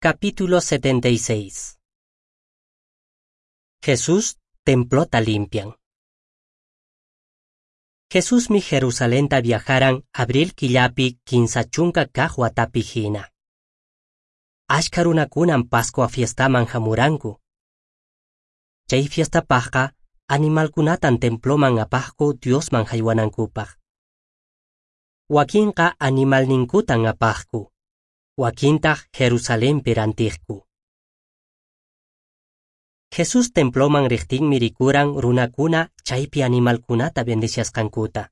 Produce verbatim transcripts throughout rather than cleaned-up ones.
Capítulo setenta y seis. Jesús templota limpian. Jesusmi Jerusalenta viajaran abril killapi kinsa chunka kaq watapi hina. Ashka runakunan Pascua fiestaman hamuranku. Chay fiestapaqqa animalkunatan temploman apaqku Diosman haywanankupaq. Wakinqa animalninkutan apaqku, wakintaq Jerusalenpi rantiqku. Jesús temploman riqtinmi rikuran runakuna chaypi animalkunata bendiciasqankuta.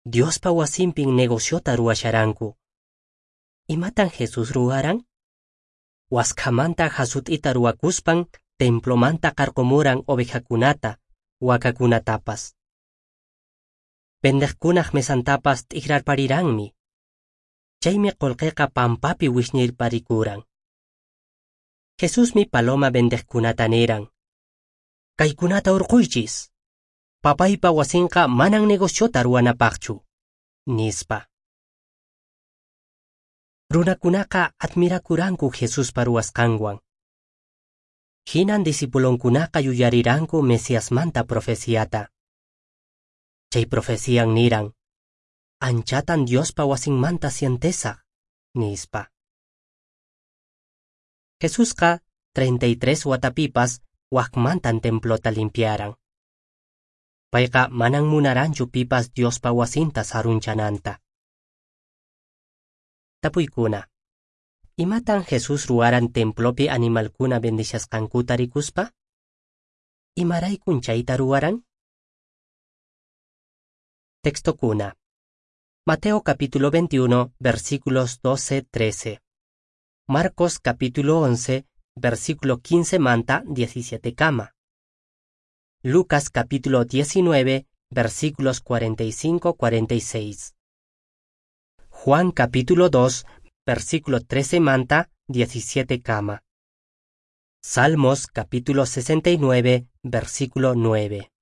Diospa wasinpin negociota ruwasharanku. Imatan Jesús ruwaran? Waskhamanta hasut'ita ruwakuspan templomanta qarqumuran ovejakunata, wakakunatapas. Vendeqkunaq mesantapas t'ikrarpariranmi. Chaymi qullqiqa pampapi wisñirparikuran. Jesusmi paloma vendeqkunata niran: Kaykunata hurquychis. Papaypa wasinqa manan negociota ruwanapaqchu, nispa. Runakunaqa admirakuranku Jesuspa ruwasqanwan. Hinan discipulonkunaqa yuyariranku Mesiasmanta profeciata. Chay profecian niran: Anchatan Diospa wasinmanta sientesaq, nispa. Jesusqa treinta y tres watapipas waqmantan templota limpiaran. Payqa manan munaranchu pipas Diospa wasinta sarunchananta. Tapuykuna. Imatan Jesús ruwaran templopi animalkuna bendiciasqankuta rikuspa? Imaraykun chayta ruwaran? Textokuna. Mateo capítulo veintiuno, versículos doce trece. Marcos capítulo once, versículo quince manta diecisiete kama. Lucas capítulo diecinueve, versículos cuarenta y cinco cuarenta y seis. Juan capítulo dos, versículo trece manta diecisiete kama. Salmos capítulo sesenta y nueve, versículo nueve.